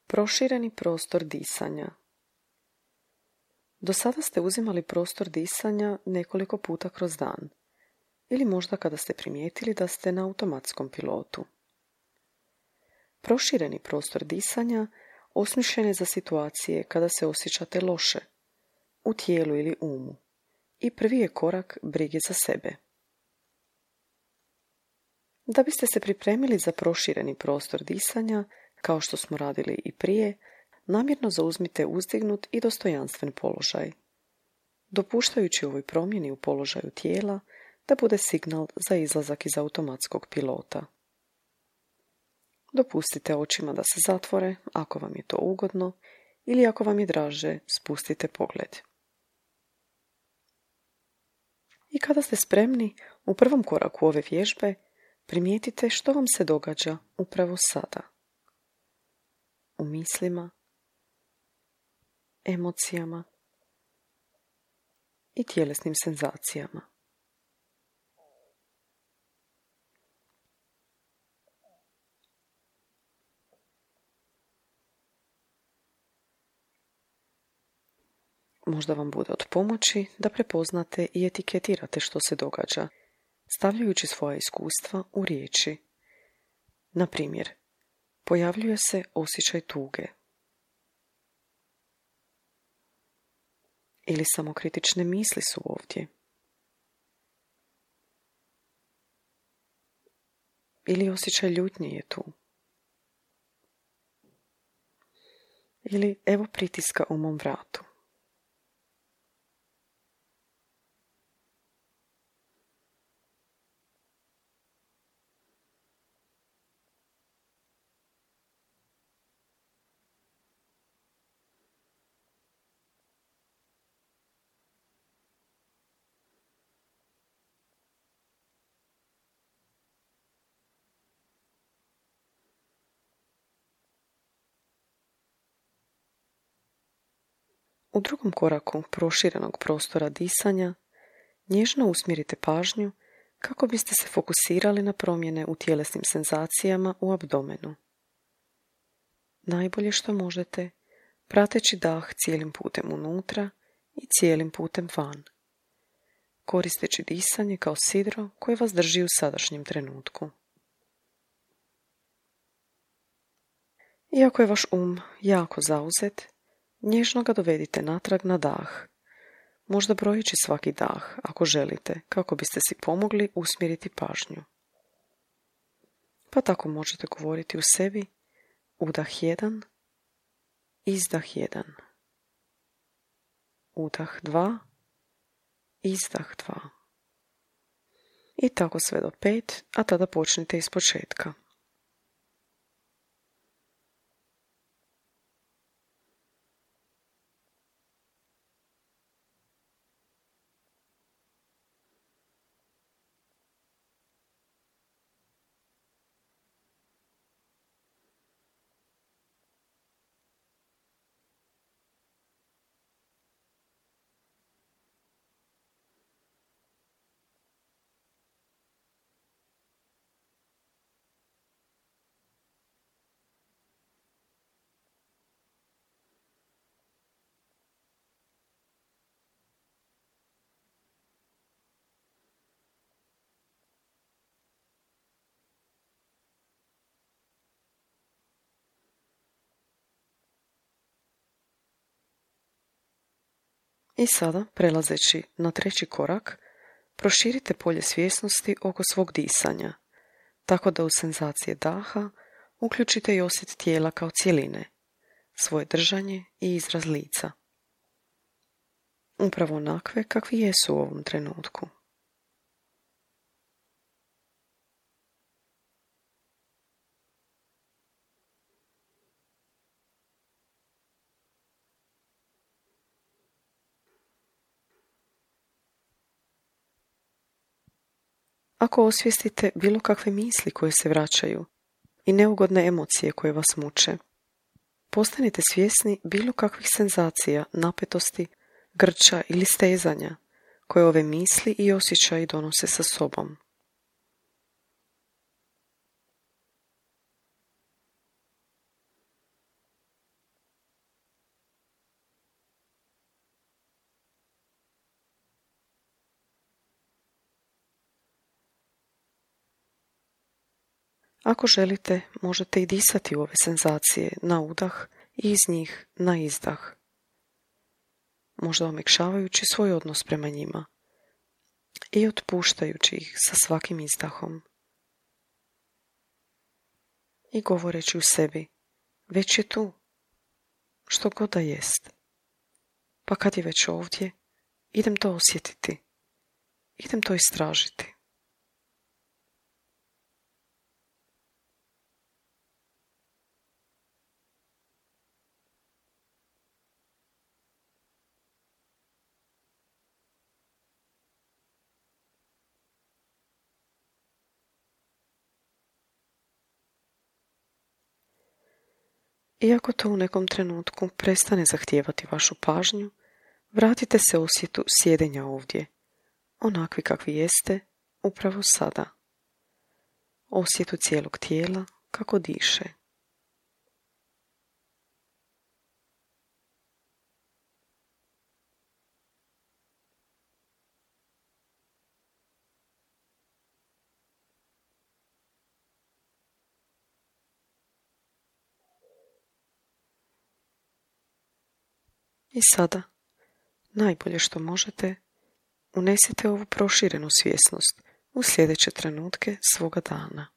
Prošireni prostor disanja. Do sada ste uzimali prostor disanja nekoliko puta kroz dan, ili možda kada ste primijetili da ste na automatskom pilotu. Prošireni prostor disanja osmišljen je za situacije kada se osjećate loše, u tijelu ili umu, i prvi je korak brige za sebe. Da biste se pripremili za prošireni prostor disanja, kao što smo radili i prije, namjerno zauzmite uzdignut i dostojanstven položaj, dopuštajući ovoj promjeni u položaju tijela da bude signal za izlazak iz automatskog pilota. Dopustite očima da se zatvore ako vam je to ugodno ili ako vam je draže, spustite pogled. I kada ste spremni, u prvom koraku ove vježbe primijetite što vam se događa upravo sada. U mislima, emocijama i tjelesnim senzacijama. Možda vam bude od pomoći da prepoznate i etiketirate što se događa, stavljajući svoja iskustva u riječi. Na primjer, pojavljuje se osjećaj tuge. Ili samokritične misli su ovdje. Ili osjećaj ljutnje je tu. Ili evo pritiska u mom vratu. U drugom koraku proširenog prostora disanja nježno usmjerite pažnju kako biste se fokusirali na promjene u tjelesnim senzacijama u abdomenu. Najbolje što možete, prateći dah cijelim putem unutra i cijelim putem van, koristeći disanje kao sidro koje vas drži u sadašnjem trenutku. Iako je vaš jako zauzet, nježno ga dovedite natrag na dah, možda brojeći svaki dah ako želite, kako biste si pomogli usmjeriti pažnju. Pa tako možete govoriti u sebi: udah 1, izdah 1, udah 2, izdah 2. I tako sve do 5, a tada počnite iz početka. I sada, prelazeći na treći korak, proširite polje svjesnosti oko svog disanja, tako da u senzacije daha uključite i osjet tijela kao cjeline, svoje držanje i izraz lica. Upravo onakve kakvi jesu u ovom trenutku. Ako osvijestite bilo kakve misli koje se vraćaju i neugodne emocije koje vas muče, postanite svjesni bilo kakvih senzacija, napetosti, grča ili stezanja koje ove misli i osjećaji donose sa sobom. Ako želite, možete i disati u ove senzacije na udah i iz njih na izdah, možda omekšavajući svoj odnos prema njima i otpuštajući ih sa svakim izdahom. I govoreći u sebi, već je tu, što god da jest. Pa kad je već ovdje, idem to osjetiti, idem to istražiti. Iako to u nekom trenutku prestane zahtijevati vašu pažnju, vratite se osjetu sjedenja ovdje, onakvi kakvi jeste, upravo sada. Osjetu cijelog tijela kako diše. I sada, najbolje što možete, unesite ovu proširenu svjesnost u sljedeće trenutke svoga dana.